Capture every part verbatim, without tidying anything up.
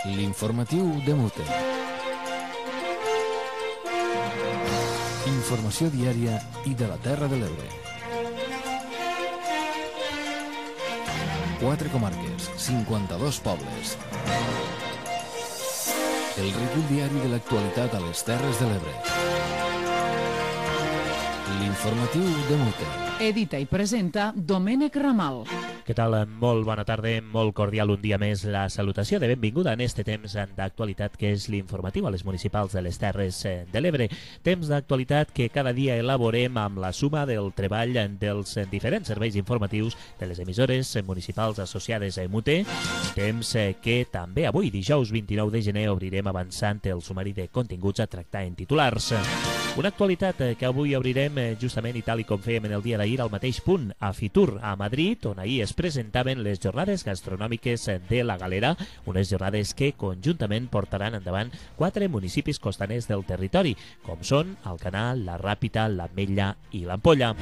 L'informatiu de Mute. Informació diària i de la Terra de l'Ebre. Quatre comarques, cinquanta-dos pobles. El recull diari de l'actualitat a les Terres de l'Ebre. L'informatiu de Mute. Edita i presenta Domènec Ramal. Què tal? Molt bona tarda, molt cordial un dia més la salutació de benvinguda en este temps d'actualitat que és l'informatiu a les municipals de les Terres de l'Ebre. Temps d'actualitat que cada dia elaborem amb la suma del treball dels diferents serveis informatius de les emissores municipals associades a Mute. Temps que també avui, dijous vint-i-nou de gener, obrirem avançant el sumari de continguts a tractar en titulars. Una actualitat que avui obrirem justament i tal i com fèiem en el dia d'ahir al mateix punt, a Fitur, a Madrid, on ahir es presentaven les jornades gastronòmiques de la Galera, unes jornades que conjuntament portaran endavant quatre municipis costaners del territori, com són Alcanar, la Ràpita, l'Ametlla i l'Ampolla.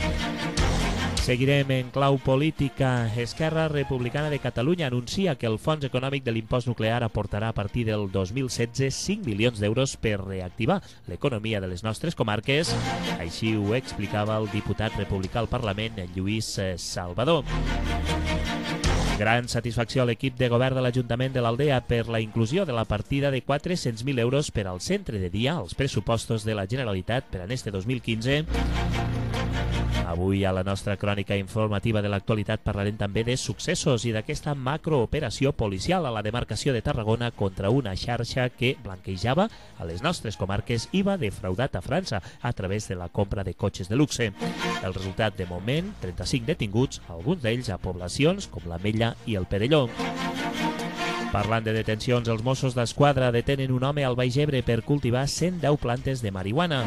Seguirem en clau política. Esquerra Republicana de Catalunya anuncia que el Fons Econòmic de l'Impost Nuclear aportarà a partir del dos mil setze cinc milions d'euros per reactivar l'economia de les nostres comarques. Així ho explicava el diputat republicà al Parlament, Lluís Salvador. Gran satisfacció a l'equip de govern de l'Ajuntament de l'Aldea per la inclusió de la partida de quatre-cents mil euros per al centre de dia als pressupostos de la Generalitat per a este dos mil quinze. Avui a la nostra crònica informativa de l'actualitat parlarem també de successos i d'aquesta macrooperació policial a la demarcació de Tarragona contra una xarxa que blanquejava a les nostres comarques i va defraudat a França a través de la compra de cotxes de luxe. El resultat de moment, trenta-cinc detinguts, alguns d'ells a poblacions com l'Ametlla i el Perelló. Parlant de detencions, els Mossos d'Esquadra detenen un home al Baix Ebre per cultivar cent deu plantes de marihuana.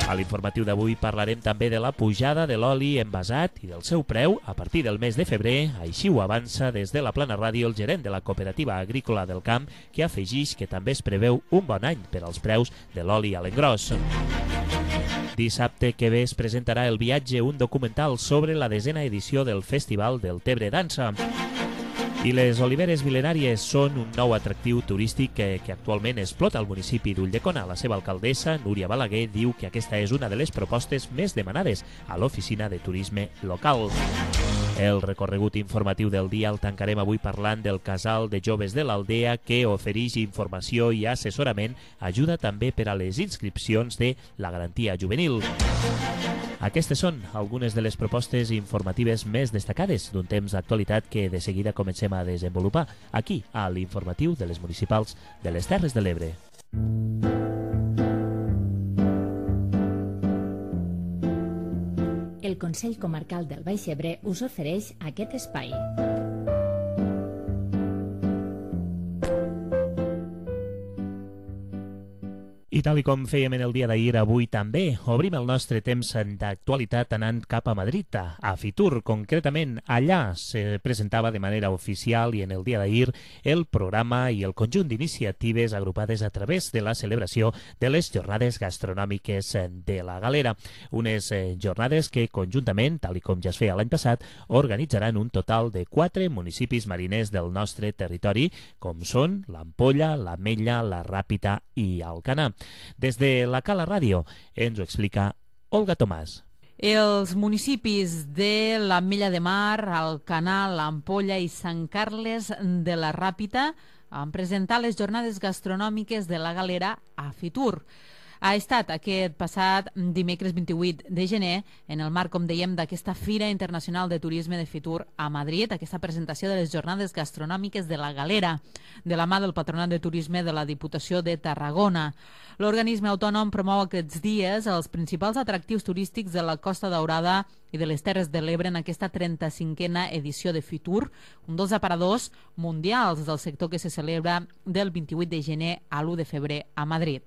A l'informatiu d'avui parlarem també de la pujada de l'oli envasat i del seu preu a partir del mes de febrer. Així ho avança des de la Plana Ràdio el gerent de la Cooperativa Agrícola del Camp, que afegix que també es preveu un bon any per als preus de l'oli a l'engròs. Dissabte que ve es presentarà El viatge, un documental sobre la desena edició del Festival del Tebre Dansa. I les oliveres mil·lenàries són un nou atractiu turístic que, que actualment explota el municipi d'Ulldecona. La seva alcaldessa, Núria Balaguer, diu que aquesta és una de les propostes més demanades a l'oficina de turisme local. El recorregut informatiu del dia el tancarem avui parlant del casal de joves de l'Aldea que ofereix informació i assessorament, ajuda també per a les inscripcions de la garantia juvenil. Aquestes són algunes de les propostes informatives més destacades d'un temps d'actualitat que de seguida comencem a desenvolupar aquí, a l'informatiu de les municipals de les Terres de l'Ebre. El Consell Comarcal del Baix Ebre us ofereix aquest espai. I tal i com fèiem en el dia d'ahir, avui també obrim el nostre temps d'actualitat anant cap a Madrid, a Fitur. Concretament, allà se presentava de manera oficial i en el dia d'ahir el programa i el conjunt d'iniciatives agrupades a través de la celebració de les jornades gastronòmiques de la Galera. Unes jornades que conjuntament, tal i com ja es feia l'any passat, organitzaran un total de quatre municipis mariners del nostre territori, com són l'Ampolla, l'Ametlla, la Ràpita i Alcanar. Des de la Cala Ràdio ens ho explica Olga Tomàs. Els municipis de l'Ametlla de Mar, Alcanar, l'Ampolla i Sant Carles de la Ràpita han presentat les jornades gastronòmiques de la Galera a Fitur. Ha estat aquest passat dimecres vint-i-vuit de gener en el marc, com dèiem, d'aquesta Fira Internacional de Turisme de Fitur a Madrid, aquesta presentació de les jornades gastronòmiques de la Galera, de la mà del Patronat de Turisme de la Diputació de Tarragona. L'organisme autònom promou aquests dies els principals atractius turístics de la Costa Daurada i de les Terres de l'Ebre en aquesta trenta-cinquena edició de Fitur, un dels aparadors mundials del sector que se celebra del vint-i-vuit de gener a l'u de febrer a Madrid.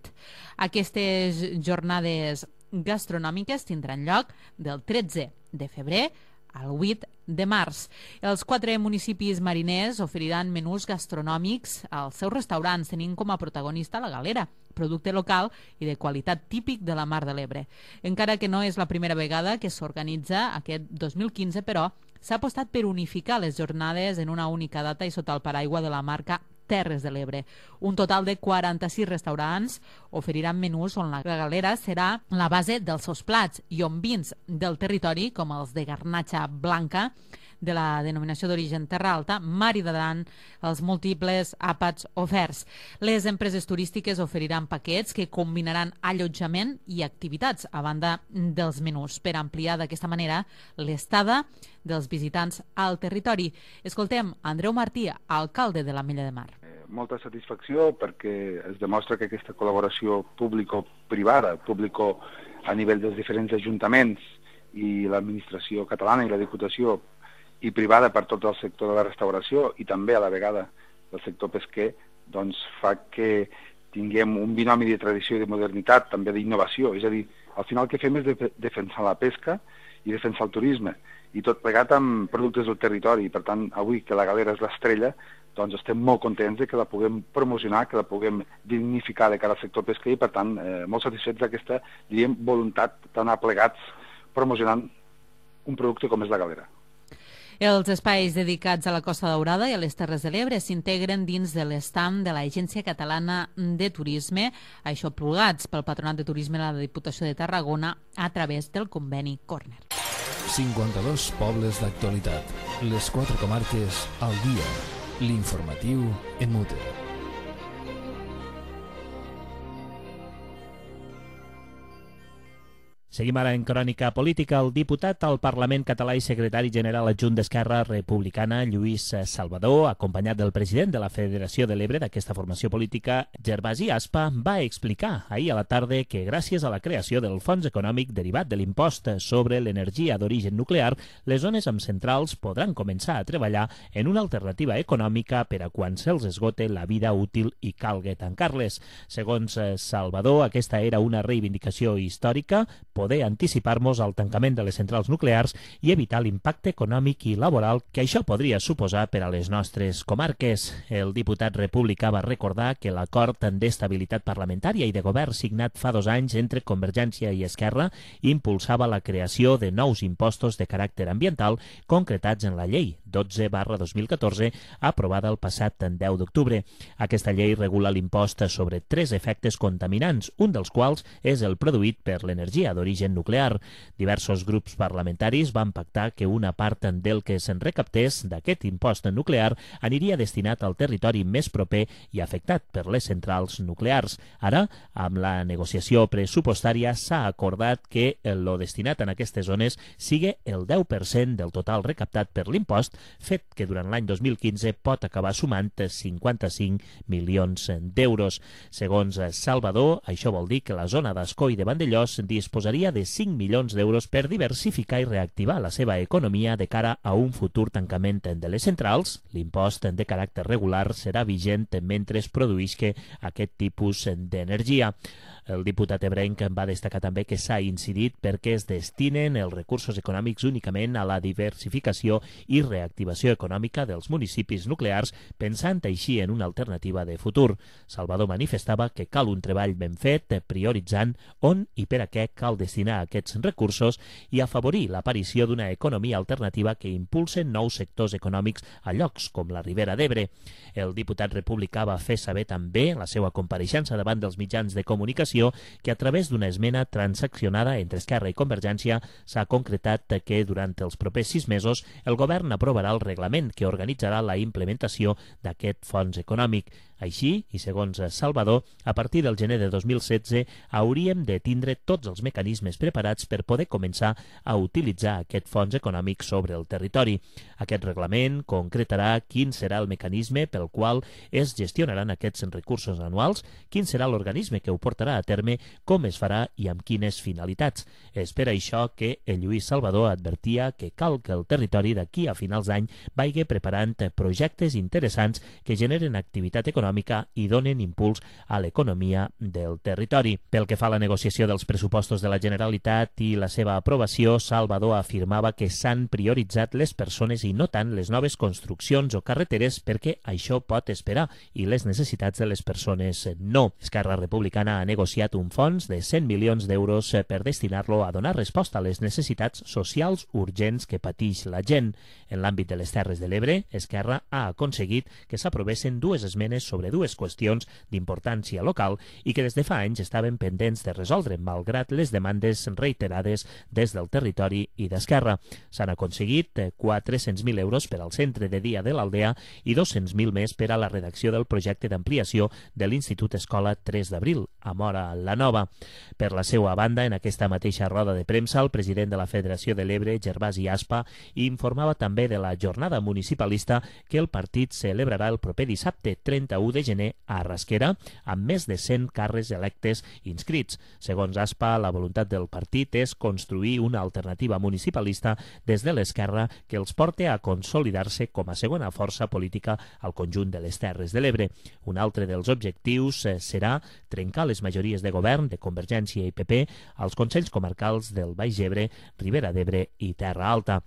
Aquestes jornades gastronòmiques tindran lloc del tretze de febrer al vuit de març. Els quatre municipis mariners oferiran menús gastronòmics als seus restaurants, tenint com a protagonista la Galera, producte local i de qualitat típic de la Mar de l'Ebre. Encara que no és la primera vegada que s'organitza aquest dos mil quinze, però s'ha apostat per unificar les jornades en una única data i sota el paraigua de la marca Terres de l'Ebre. Un total de quaranta-sis restaurants oferiran menús on la galera serà la base dels seus plats i on vins del territori, com els de garnatxa blanca, de la denominació d'origen Terra Alta, maridaran els múltiples àpats oferts. Les empreses turístiques oferiran paquets que combinaran allotjament i activitats a banda dels menús per ampliar d'aquesta manera l'estada dels visitants al territori. Escoltem Andreu Martí, alcalde de l'Ametlla de Mar. Molta satisfacció perquè es demostra que aquesta col·laboració público-privada, público a nivell dels diferents ajuntaments i l'administració catalana i la Diputació i privada per tot el sector de la restauració i també a la vegada del sector pesquer, doncs fa que tinguem un binomi de tradició i de modernitat, també d'innovació. És a dir, al final el que fem és de defensar la pesca i defensar el turisme, i tot plegat amb productes del territori. Per tant, avui que la galera és l'estrella, doncs estem molt contents de que la puguem promocionar, que la puguem dignificar de cara al sector pesquer i, per tant, eh, molt satisfets d'aquesta, diríem, voluntat d'anar plegats promocionant un producte com és la galera. Els espais dedicats a la Costa Daurada i a les Terres de l'Ebre s'integren dins de l'estam de l'Agència Catalana de Turisme, això plugats pel Patronat de Turisme de la Diputació de Tarragona a través del conveni Corner. cinquanta-dos pobles d'actualitat, les quatre comarques al dia, l'informatiu en Mute. Seguim ara en crònica política. El diputat al Parlament català i secretari general adjunt d'Esquerra Republicana, Lluís Salvador, acompanyat del president de la Federació de l'Ebre d'aquesta formació política, Gervasi Aspa, va explicar ahir a la tarda que gràcies a la creació del fons econòmic derivat de l'impost sobre l'energia d'origen nuclear, les zones amb centrals podran començar a treballar en una alternativa econòmica per a quan se'ls esgote la vida útil i calga tancar-les. Segons Salvador, aquesta era una reivindicació històrica, poder anticipar-nos al tancament de les centrals nuclears i evitar l'impacte econòmic i laboral que això podria suposar per a les nostres comarques. El diputat republicà va recordar que l'acord d'estabilitat parlamentària i de govern signat fa dos anys entre Convergència i Esquerra impulsava la creació de nous impostos de caràcter ambiental concretats en la llei dotze barra dos mil catorze aprovada el passat deu d'octubre. Aquesta llei regula l'impost sobre tres efectes contaminants, un dels quals és el produït per l'energia d'origen nuclear. Diversos grups parlamentaris van pactar que una part del que se'n recaptés d'aquest impost nuclear aniria destinat al territori més proper i afectat per les centrals nuclears. Ara, amb la negociació pressupostària, s'ha acordat que el destinat en aquestes zones sigui el deu per cent del total recaptat per l'impost, fet que durant l'any dos mil quinze pot acabar sumant cinquanta-cinc milions d'euros. Segons Salvador, això vol dir que la zona d'Ascó i de Vandellós disposaria de cinc milions d'euros per diversificar i reactivar la seva economia de cara a un futur tancament de les centrals. L'impost de caràcter regular serà vigent mentre es produïsca aquest tipus d'energia. El diputat ebrenc va destacar també que s'ha incidit perquè es destinen els recursos econòmics únicament a la diversificació i reactivació econòmica dels municipis nuclears, pensant així en una alternativa de futur. Salvador manifestava que cal un treball ben fet, prioritzant on i per a què cal destinar aquests recursos i afavorir l'aparició d'una economia alternativa que impulse nous sectors econòmics a llocs com la Ribera d'Ebre. El diputat republicà va fer saber també en la seva compareixença davant dels mitjans de comunicació que a través d'una esmena transaccionada entre Esquerra i Convergència s'ha concretat que durant els propers sis mesos el govern aprovarà el reglament que organitzarà la implementació d'aquest fons econòmic. Així, i segons Salvador, a partir del gener de dos mil setze hauríem de tindre tots els mecanismes preparats per poder començar a utilitzar aquest fons econòmic sobre el territori. Aquest reglament concretarà quin serà el mecanisme pel qual es gestionaran aquests recursos anuals, quin serà l'organisme que ho portarà a terme, com es farà i amb quines finalitats. És per això que el Lluís Salvador advertia que cal que el territori d'aquí a finals d'any vagi preparant projectes interessants que generen activitat econòmica econòmica i donen impuls a l'economia del territori. Pel que fa a la negociació dels pressupostos de la Generalitat i la seva aprovació, Salvador afirmava que s'han prioritzat les persones i no tant les noves construccions o carreteres perquè això pot esperar i les necessitats de les persones no. Esquerra Republicana ha negociat un fons de cent milions d'euros per destinar-lo a donar resposta a les necessitats socials urgents que pateix la gent. En l'àmbit de les Terres de l'Ebre, Esquerra ha aconseguit que s'aprovessin dues esmenes sobre dues qüestions d'importància local i que des de fa anys estaven pendents de resoldre, malgrat les demandes reiterades des del territori i d'Esquerra. S'han aconseguit quatre-cents mil euros per al centre de dia de l'Aldea i dos-cents mil més per a la redacció del projecte d'ampliació de l'Institut Escola tres d'abril, a Móra la Nova. Per la seva banda, en aquesta mateixa roda de premsa, el president de la Federació de l'Ebre, Gervasi Aspa, informava també de la jornada municipalista que el partit celebrarà el proper dissabte trenta-u de gener a Rasquera, amb més de cent càrrecs electes inscrits. Segons Aspa, la voluntat del partit és construir una alternativa municipalista des de l'esquerra que els porte a consolidar-se com a segona força política al conjunt de les Terres de l'Ebre. Un altre dels objectius serà trencar les majories de govern de Convergència i P P als Consells Comarcals del Baix Ebre, Ribera d'Ebre i Terra Alta.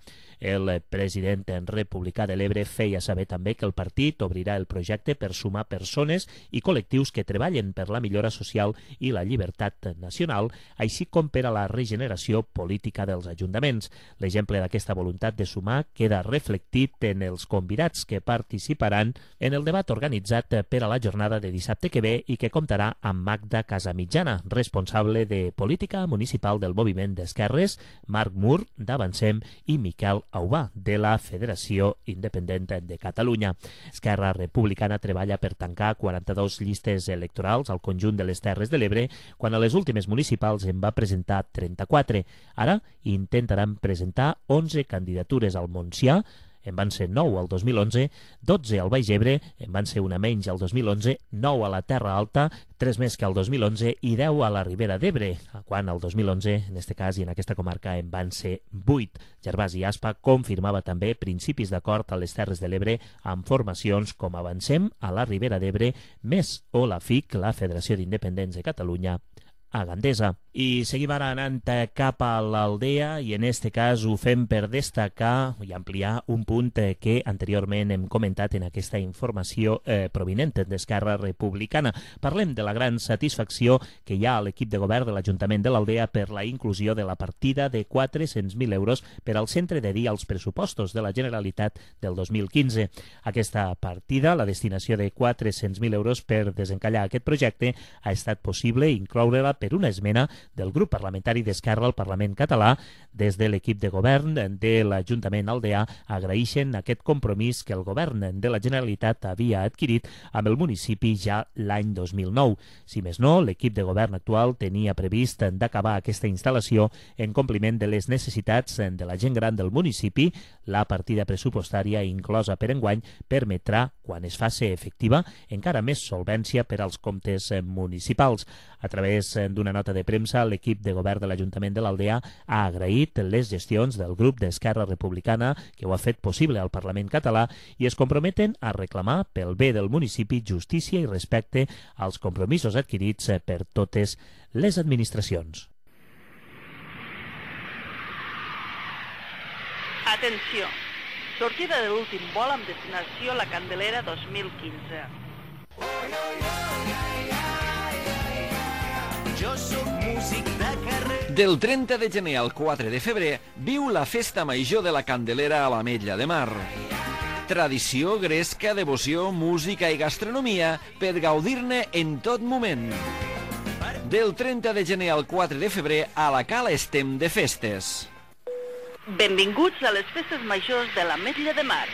El president republicà de l'Ebre feia saber també que el partit obrirà el projecte per sumar persones i col·lectius que treballen per la millora social i la llibertat nacional, així com per a la regeneració política dels ajuntaments. L'exemple d'aquesta voluntat de sumar queda reflectit en els convidats que participaran en el debat organitzat per a la jornada de dissabte que ve i que comptarà amb Magda Casamitjana, responsable de política municipal del moviment d'Esquerres, Marc Mur, d'Avancem, i Miquel Aubà, de la Federació Independent de Catalunya. Esquerra Republicana treballa per tancar quaranta-dues llistes electorals al conjunt de les Terres de l'Ebre, quan a les últimes municipals en va presentar trenta-quatre. Ara intentaran presentar onze candidatures al Montsià, en van ser nou al dos mil onze, dotze al Baix Ebre, en van ser una menys al dos mil onze, nou a la Terra Alta, tres més que al dos mil onze i deu a la Ribera d'Ebre, quan al dos mil onze, en aquest cas i en aquesta comarca, en van ser vuit. Gervasi Aspa confirmava també principis d'acord a les Terres de l'Ebre amb formacions com Avancem a la Ribera d'Ebre, més o la F I C, la Federació d'Independents de Catalunya, a Gandesa. I seguim ara anant cap a l'Aldea i en este cas ho fem per destacar i ampliar un punt que anteriorment hem comentat en aquesta informació eh, provinent d'Esquerra Republicana. Parlem de la gran satisfacció que hi ha a l'equip de govern de l'Ajuntament de l'Aldea per la inclusió de la partida de quatre-cents mil euros per al centre de dia als pressupostos de la Generalitat del dos mil quinze. Aquesta partida, la destinació de quatre-cents mil euros per desencallar aquest projecte, ha estat possible incloure-la per una esmena del grup parlamentari d'Esquerra al Parlament català. Des de l'equip de govern de l'Ajuntament aldeà agraeixen aquest compromís que el govern de la Generalitat havia adquirit amb el municipi ja l'any dos mil nou. Si més no, l'equip de govern actual tenia previst d'acabar aquesta instal·lació en compliment de les necessitats de la gent gran del municipi. La partida pressupostària inclosa per enguany permetrà, quan es faci efectiva, encara més solvència per als comptes municipals. A través d'una nota de premsa, l'equip de govern de l'Ajuntament de l'Aldea ha agraït les gestions del grup d'Esquerra Republicana que ho ha fet possible al Parlament català i es comprometen a reclamar pel bé del municipi justícia i respecte als compromisos adquirits per totes les administracions. Atenció! Sortida de l'últim vol amb destinació La Candelera dos mil quinze. Jo soc músic de carrer. Del trenta de gener al quatre de febrer viu la festa major de la Candelera a l'Ametlla de Mar. Tradició, gresca, devoció, música i gastronomia per gaudir-ne en tot moment. Del trenta de gener al quatre de febrer a la Cala estem de festes. Benvinguts a les festes majors de l'Ametlla de Mar.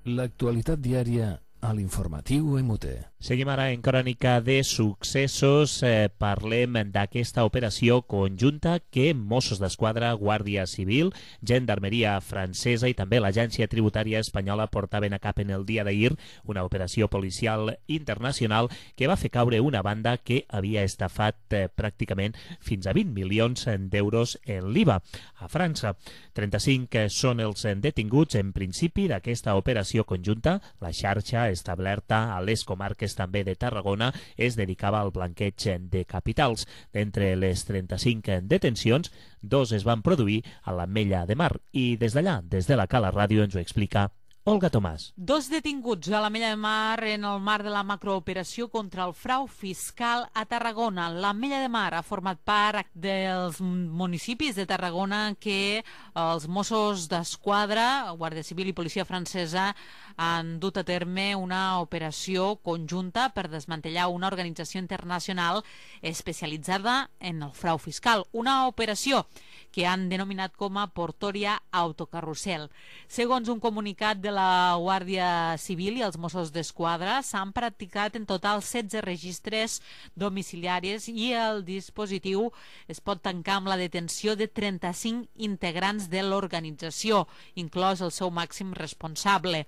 L'actualitat diària a l'informatiu M U T E. Seguim ara en crònica de successos. Eh, parlem d'aquesta operació conjunta que Mossos d'Esquadra, Guàrdia Civil, Gendarmeria Francesa i també l'Agència Tributària Espanyola portaven a cap en el dia d'ahir, una operació policial internacional que va fer caure una banda que havia estafat eh, pràcticament fins a vint milions d'euros en l'I V A a França. trenta-cinc són els detinguts en principi d'aquesta operació conjunta. La xarxa establerta a les comarques també de Tarragona es dedicava al blanqueig de capitals. D'entre les trenta-cinc detencions, dos es van produir a l'Ametlla de Mar i des d'allà, des de la Cala Ràdio, ens ho explica Olga Tomàs. Dos detinguts a l'Ametlla de Mar en el marc de la macrooperació contra el frau fiscal a Tarragona. L'Ametlla de Mar ha format part dels municipis de Tarragona que els Mossos d'Esquadra, Guàrdia Civil i Policia Francesa han dut a terme una operació conjunta per desmantellar una organització internacional especialitzada en el frau fiscal. Una operació que han denominat com a Portoria Autocarrusel. Segons un comunicat de la Guàrdia Civil i els Mossos d'Esquadra, s'han practicat en total setze registres domiciliaris i el dispositiu es pot tancar amb la detenció de trenta-cinc integrants de l'organització, inclòs el seu màxim responsable.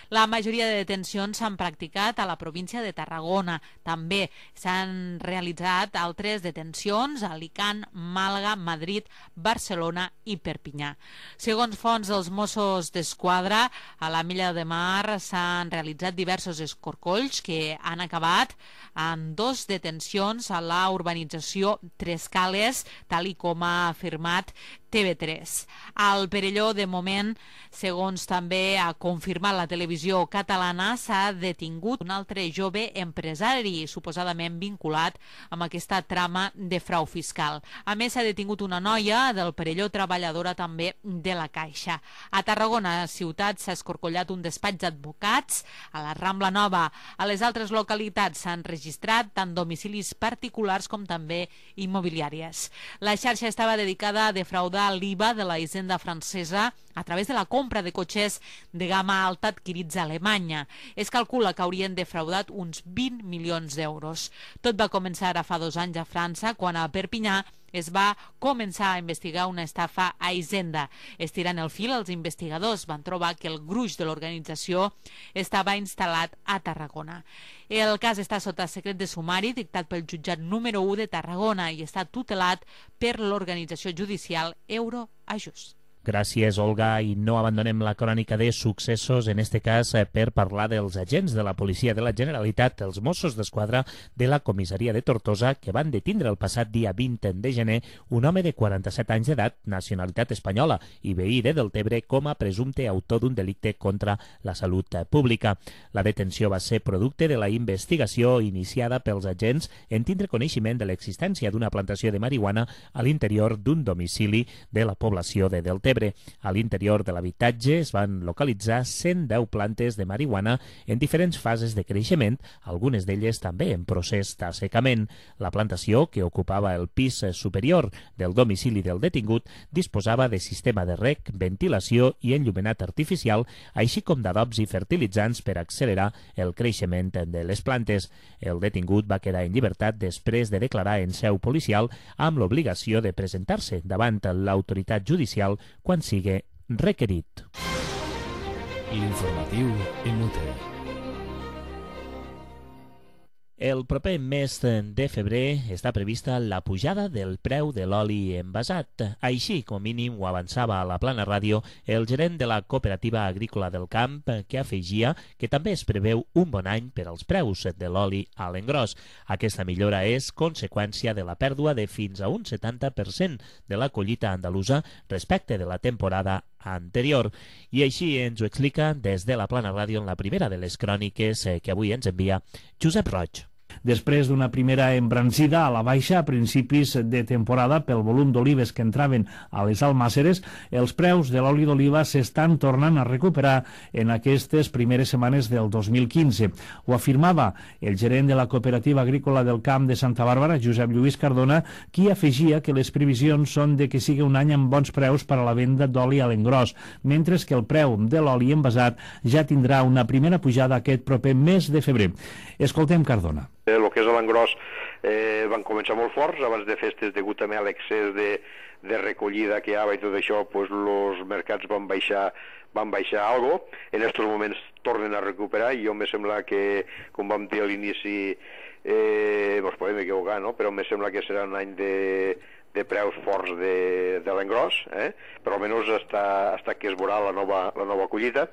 La majoria de detencions s'han practicat a la província de Tarragona. També s'han realitzat altres detencions a Alicant, Màlaga, Madrid, Barcelona i Perpinyà. Segons fonts dels Mossos d'Esquadra, a l'Ametlla de Mar s'han realitzat diversos escorcolls que han acabat en dos detencions a la urbanització Tres Cales, tal i com ha afirmat T V tres. Al Perelló, de moment, segons també ha confirmat la televisió catalana, s'ha detingut un altre jove empresari, suposadament vinculat amb aquesta trama de frau fiscal. A més, s'ha detingut una noia del Perelló, treballadora també de la Caixa. A Tarragona, ciutat, s'ha escorcollat un despatx d'advocats. A la Rambla Nova, a les altres localitats s'han registrat tant domicilis particulars com també immobiliàries. La xarxa estava dedicada a defraudar l'I V A de la hisenda francesa a través de la compra de cotxes de gamma alta adquirits a Alemanya. Es calcula que haurien defraudat uns vint milions d'euros. Tot va començar ara fa dos anys a França, quan a Perpinyà es va començar a investigar una estafa a Hisenda. Estirant el fil, els investigadors van trobar que el gruix de l'organització estava instal·lat a Tarragona. El cas està sota secret de sumari dictat pel jutjat número u de Tarragona i està tutelat per l'organització judicial Euroajust. Gràcies, Olga, i no abandonem la crònica de successos, en este cas per parlar dels agents de la Policia de la Generalitat, els Mossos d'Esquadra de la comissaria de Tortosa, que van detindre el passat dia vint de gener un home de quaranta-set anys d'edat, nacionalitat espanyola i veí de Deltebre, com a presumpte autor d'un delicte contra la salut pública. La detenció va ser producte de la investigació iniciada pels agents en tindre coneixement de l'existència d'una plantació de marihuana a l'interior d'un domicili de la població de Deltebre. A l'interior de l'habitatge es van localitzar cent deu plantes de marihuana en diferents fases de creixement, algunes d'elles també en procés d'assecament. La plantació, que ocupava el pis superior del domicili del detingut, disposava de sistema de reg, ventilació i enllumenat artificial, així com d'adobs i fertilitzants per accelerar el creixement de les plantes. El detingut va quedar en llibertat després de declarar en seu policial amb l'obligació de presentar-se davant l'autoritat judicial quan sigui requerit. L'informatiu en U T E. El proper mes de febrer està prevista la pujada del preu de l'oli envasat. Així, com a mínim, ho avançava a la Plana Ràdio el gerent de la Cooperativa Agrícola del Camp, que afegia que també es preveu un bon any per als preus de l'oli a l'engròs. Aquesta millora és conseqüència de la pèrdua de fins a un setanta per cent de la collita andalusa respecte de la temporada anterior. I així ens ho explica des de la Plana Ràdio en la primera de les cròniques que avui ens envia Josep Roig. Després d'una primera embranzida a la baixa a principis de temporada pel volum d'olives que entraven a les almàsseres, els preus de l'oli d'oliva s'estan tornant a recuperar en aquestes primeres setmanes del dos mil quinze. Ho afirmava el gerent de la Cooperativa Agrícola del Camp de Santa Bàrbara, Josep Lluís Cardona, qui afegia que les previsions són de que sigui un any amb bons preus per a la venda d'oli a l'engròs, mentre que el preu de l'oli envasat ja tindrà una primera pujada aquest proper mes de febrer. Escoltem Cardona. El que és a l'engròs eh, van començar molt forts, abans de festes, degut també a l'excés de, de recollida que hi havia i tot això, pues, els mercats van baixar van baixar algo. En aquests moments tornen a recuperar i jo me sembla que, com vam dir a l'inici, eh, ens podem equivocar, no? Però me sembla que serà un any de de preus forts de, de l'engròs, eh? però almenys hasta, hasta que es veurà la nova, la nova collita,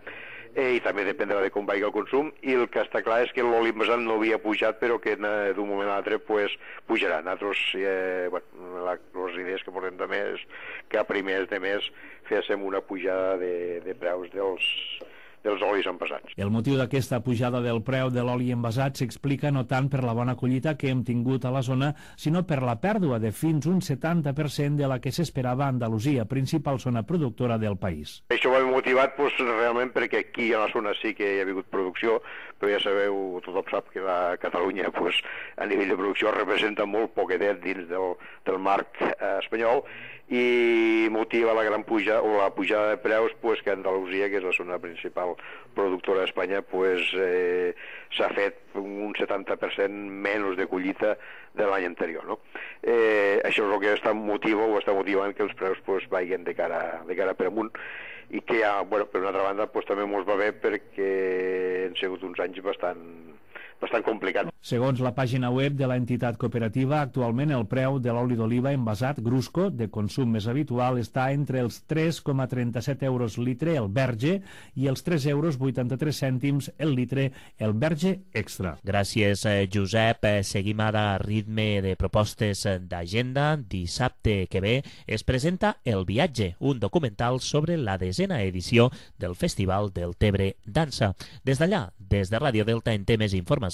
eh, i també dependrà de com vagi el consum, i el que està clar és que l'oli envasat no havia pujat, però que d'un moment a l'altre pues, pujarà. Nosaltres, eh, bueno, la, les idees que portem també és que a primers de mes féssim una pujada de, de preus dels dels olis envasats. El motiu d'aquesta pujada del preu de l'oli envasat s'explica no tant per la bona collita que hem tingut a la zona, sinó per la pèrdua de fins un setanta per cent de la que s'esperava a Andalusia, principal zona productora del país. Això va motivat pues, realment perquè aquí a la zona sí que hi ha hagut producció, però ja sabeu, tothom sap que la Catalunya pues, a nivell de producció representa molt poquetet dins del, del marc eh, espanyol, i motiva la gran puja o la pujada de preus pues, que Andalusia, que és la zona principal productora d'Espanya, pues, eh, s'ha fet un setanta per cent menys de collita de l'any anterior. No? Eh, això és el que està motiva o està motivant que els preus pues, vagin de cara, de cara per amunt, i que, ja, bueno, per una altra banda, pues, també ens va bé perquè han sigut uns anys bastant bastant complicat. Segons la pàgina web de l'entitat cooperativa, actualment el preu de l'oli d'oliva envasat Grusco, de consum més habitual, està entre els tres coma trenta-set euros litre el verge i els tres euros vuitanta-tres cèntims el litre el verge extra. Gràcies, Josep. Seguim ara a ritme de propostes d'agenda. Dissabte que ve es presenta El viatge, un documental sobre la desena edició del Festival del Tebre Dansa. Des d'allà, des de Ràdio Delta, en té més informació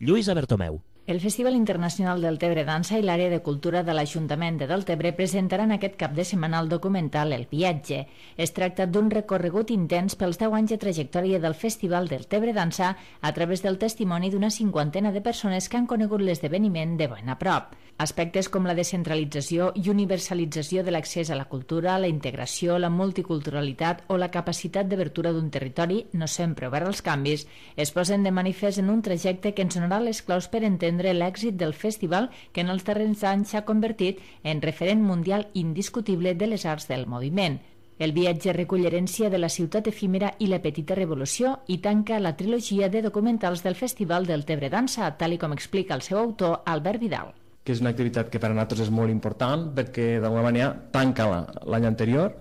Lluïsa Bertomeu. El Festival Internacional del Tebre Dansa i l'Àrea de Cultura de l'Ajuntament de Deltebre presentaran aquest cap de setmana el documental El viatge. Es tracta d'un recorregut intens pels deu anys de trajectòria del Festival del Tebre Dansa a través del testimoni d'una cinquantena de persones que han conegut l'esdeveniment de ben a prop. Aspectes com la descentralització i universalització de l'accés a la cultura, la integració, la multiculturalitat o la capacitat d'obertura d'un territori no sempre obert als canvis es posen de manifest en un trajecte que ens donarà les claus per entendre l'èxit del festival que en els darrers anys s'ha convertit en referent mundial indiscutible de les arts del moviment. El viatge recull herència de la ciutat efímera i la petita revolució i tanca la trilogia de documentals del Festival del Tebre Dansa, tal i com explica el seu autor, Albert Vidal. Que és una activitat que per a nosaltres és molt important perquè d'alguna manera tanca l'any anterior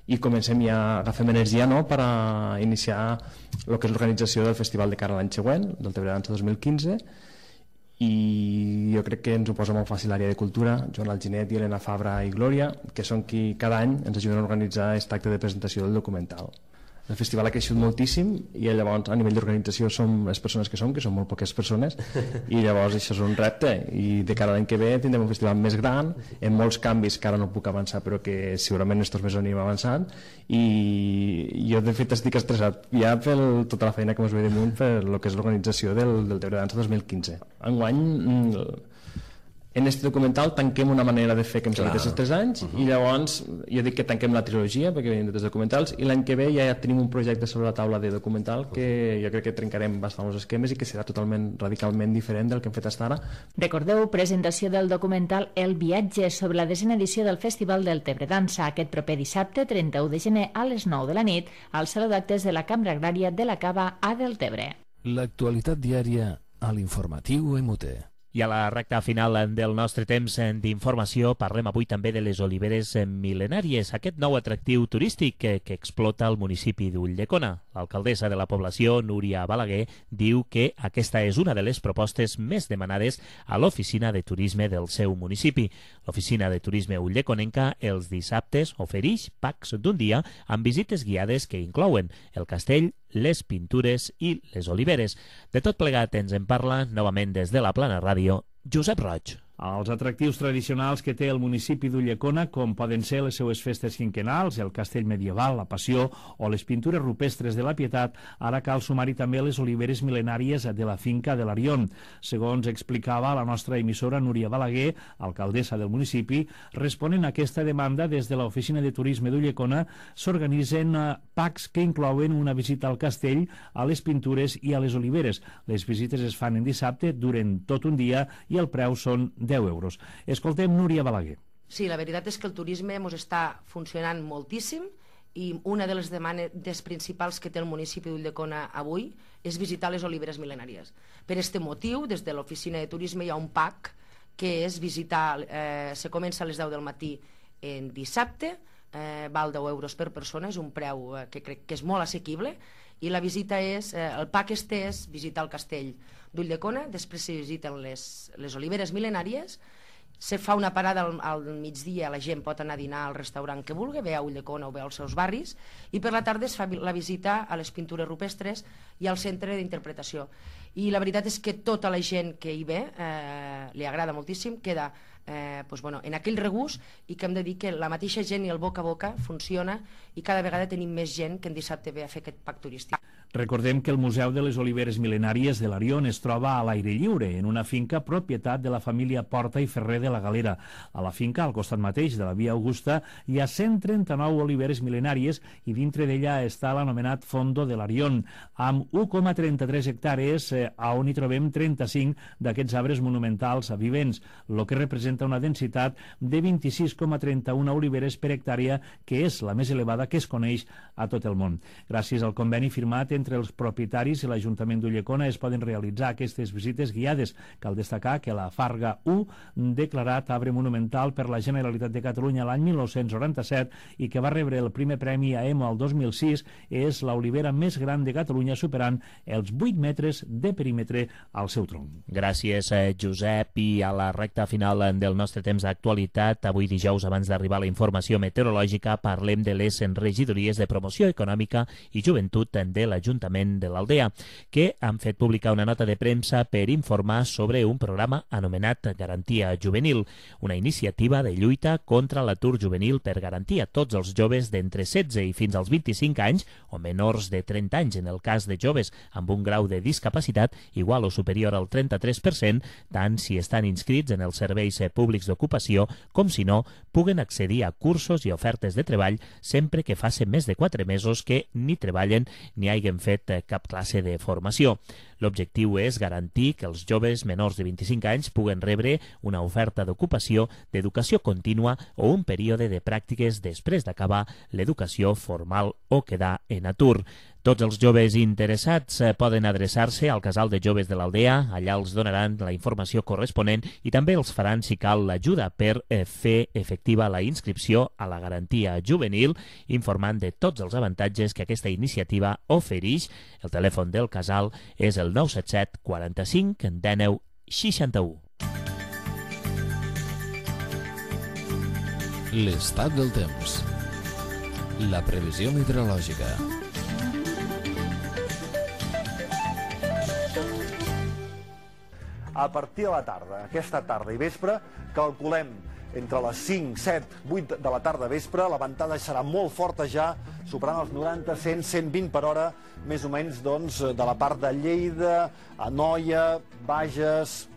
i comencem ja, agafem energia no, per a iniciar el que és l'organització del festival de cara a l'any següent, del Tebre Dansa dos mil quinze, i jo crec que ens ho posa molt fàcil l'àrea de cultura, Joan Alginet i Elena Fabra i Glòria, que són qui cada any ens ajuden a organitzar aquest acte de presentació del documental. El festival ha creixut moltíssim i llavors a nivell d'organització som les persones que som, que són molt poques persones, i llavors això és un repte, i de cara a l'any que ve tindrem un festival més gran, amb molts canvis que ara no puc avançar però que segurament estos mesos anirem avançant, i jo de fet estic estressat ja per tota la feina que ens ve damunt per el que és l'organització del, del Tebre Dansa dos mil quinze. Enguany en aquest documental tanquem una manera de fer que hem seguit aquests tres anys, uh-huh. i llavors jo dic que tanquem la trilogia perquè venim de tres documentals, i l'any que ve ja tenim un projecte sobre la taula de documental que jo crec que trencarem bastant els esquemes i que serà totalment, radicalment diferent del que hem fet fins ara. Recordeu, presentació del documental El viatge sobre la desena edició del Festival del Tebre Dansa aquest proper dissabte trenta-u de gener a les nou de la nit al Saló d'Actes de la Cambra Agrària de la Cava a Deltebre. L'actualitat diària a l'informatiu M U T E. I a la recta final del nostre temps d'informació parlem avui també de les oliveres mil·lenàries, aquest nou atractiu turístic que, que explota el municipi d'Ulldecona. L'alcaldessa de la població, Núria Balaguer, diu que aquesta és una de les propostes més demanades a l'oficina de turisme del seu municipi. L'oficina de turisme ulleconenca els dissabtes ofereix packs d'un dia amb visites guiades que inclouen el castell, les pintures i les oliveres. De tot plegat ens en parla novament des de la Plana Ràdio, Josep Roig. Els atractius tradicionals que té el municipi d'Ulldecona, com poden ser les seues festes quinquenals, el castell medieval, la Passió o les pintures rupestres de la Pietat, ara cal sumar-hi també les oliveres mil·lenàries de la finca de l'Arion. Segons explicava la nostra emissora Núria Balaguer, alcaldessa del municipi, responent a aquesta demanda des de l'Oficina de Turisme d'Ulldecona s'organitzen packs que inclouen una visita al castell, a les pintures i a les oliveres. Les visites es fan en dissabte, duren tot un dia i el preu són deu euros. Escoltem Núria Balaguer. Sí, la veritat és que el turisme ens està funcionant moltíssim i una de les demandes principals que té el municipi d'Ulldecona avui és visitar les oliveres mil·lenàries. Per aquest motiu, des de l'oficina de turisme hi ha un pack que és visitar, eh, se comença a les deu del matí en dissabte, eh, val deu euros per persona, és un preu eh, que crec que és molt assequible, i la visita és, eh, el pack este és visitar el castell d'Ulldecona, després se visiten les, les oliveres mil·lenàries, se fa una parada al, al migdia, la gent pot anar a dinar al restaurant que vulgui, ve a Ulldecona o ve als seus barris, i per la tarda es fa la visita a les pintures rupestres i al centre d'interpretació. I la veritat és que tota la gent que hi ve eh, li agrada moltíssim, queda eh, pues bueno, en aquell regust, i que hem de dir que la mateixa gent i el boca a boca funciona i cada vegada tenim més gent que en dissabte ve a fer aquest pack turístic. Recordem que el Museu de les Oliveres Mil·lenàries de l'Arion es troba a l'aire lliure, en una finca propietat de la família Porta i Ferrer de la Galera. A la finca, al costat mateix de la Via Augusta, hi ha cent trenta-nou oliveres mil·lenàries i dintre d'ella està l'anomenat Fondo de l'Arion, amb u coma trenta-tres hectàrees eh, on hi trobem trenta-cinc d'aquests arbres monumentals vivents, el que representa una densitat de vint-i-sis coma trenta-u oliveres per hectàrea, que és la més elevada que es coneix a tot el món. Gràcies al conveni firmat entre els propietaris i l'Ajuntament d'Ulldecona es poden realitzar aquestes visites guiades. Cal destacar que la Farga u, declarat arbre monumental per la Generalitat de Catalunya l'any mil nou-cents noranta-set i que va rebre el primer premi a E M O el dos mil sis, és l'olivera més gran de Catalunya, superant els vuit metres de perímetre al seu tronc. Gràcies, Josep. I a la recta final del nostre temps d'actualitat, avui dijous, abans d'arribar a la informació meteorològica, parlem de les regidories de promoció econòmica i joventut de l'Ajuntament de l'Aldea, que han fet publicar una nota de premsa per informar sobre un programa anomenat Garantia Juvenil, una iniciativa de lluita contra l'atur juvenil per garantir a tots els joves d'entre setze i fins als vint-i-cinc anys, o menors de trenta anys en el cas de joves amb un grau de discapacitat igual o superior al trenta-tres per cent, tant si estan inscrits en els serveis públics d'ocupació com si no, puguen accedir a cursos i ofertes de treball sempre que facin més de quatre mesos que ni treballen ni hagin fet cap classe de formació. L'objectiu és garantir que els joves menors de vint-i-cinc anys puguen rebre una oferta d'ocupació, d'educació contínua o un període de pràctiques després d'acabar l'educació formal o quedar en atur. Tots els joves interessats poden adreçar-se al Casal de Joves de l'Aldea, allà els donaran la informació corresponent i també els faran, si cal, l'ajuda per fer efectiva la inscripció a la garantia juvenil, informant de tots els avantatges que aquesta iniciativa ofereix. El telèfon del Casal és el nou set set quaranta-cinc dinou seixanta-u. L'estat del temps. La previsió meteorològica. A partir de la tarda, aquesta tarda i vespre, calculem entre les cinc, set, vuit de la tarda vespre, la ventada serà molt forta ja, superant els noranta, cent, cent vint per hora, més o menys doncs, de la part de Lleida, Anoia, Bages,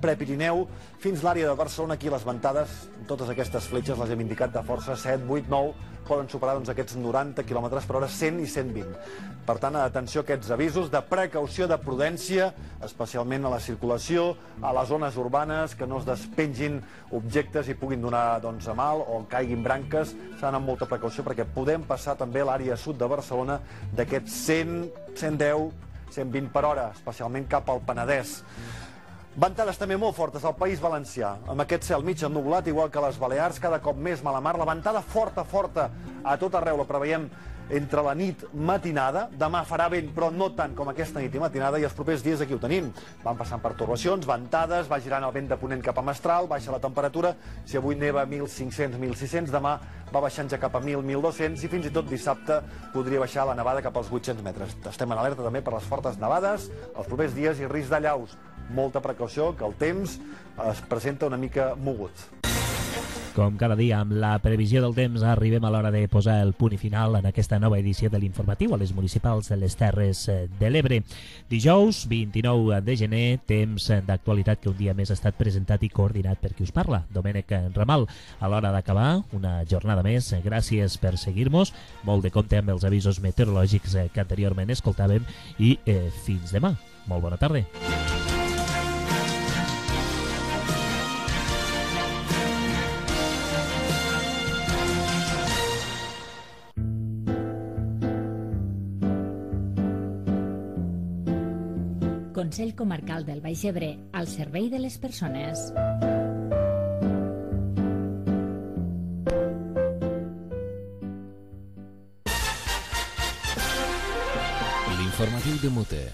Prepirineu, fins l'àrea de Barcelona. Aquí les ventades, totes aquestes fletxes les hem indicat de força, set, vuit, nou, poden superar doncs, aquests noranta quilòmetres per hora, cent i cent vint. Per tant, atenció a aquests avisos de precaució, de prudència, especialment a la circulació, a les zones urbanes, que no es despengin objectes i puguin donar doncs, a mal o caiguin branques. S'ha d'anar amb molta precaució perquè podem passar també a l'àrea sud de Barcelona d'aquests cent, cent deu, cent vint per hora, especialment cap al Penedès. Ventades també molt fortes al País Valencià, amb aquest cel mig ennublat, igual que a les Balears, cada cop més mala mar. La ventada forta, forta, a tot arreu la preveiem entre la nit matinada. Demà farà vent, però no tant com aquesta nit i matinada, i els propers dies aquí ho tenim. Van passant pertorbacions, ventades, va girant el vent de ponent cap a mestral, baixa la temperatura. Si avui neva mil cinc-cents mil sis-cents, demà va baixant ja cap a mil mil dos-cents, i fins i tot dissabte podria baixar la nevada cap als vuit-cents metres. Estem en alerta també per les fortes nevades els propers dies i risc d'allaus. Molta precaució, que el temps es presenta una mica mogut. Com cada dia, amb la previsió del temps, arribem a l'hora de posar el punt i final en aquesta nova edició de l'informatiu a les municipals de les Terres de l'Ebre. Dijous, vint-i-nou de gener, temps d'actualitat que un dia més ha estat presentat i coordinat per qui us parla, Domènec Ramal. A l'hora d'acabar, una jornada més, gràcies per seguir-nos, molt de compte amb els avisos meteorològics que anteriorment escoltàvem i eh, fins demà. Molt bona tarda. Consell Comarcal del Baix Ebre, al servei de les persones. L'informatiu de Mute,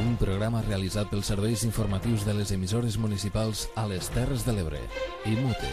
un programa realitzat pels serveis informatius de les emissores municipals a les Terres de l'Ebre i Mute.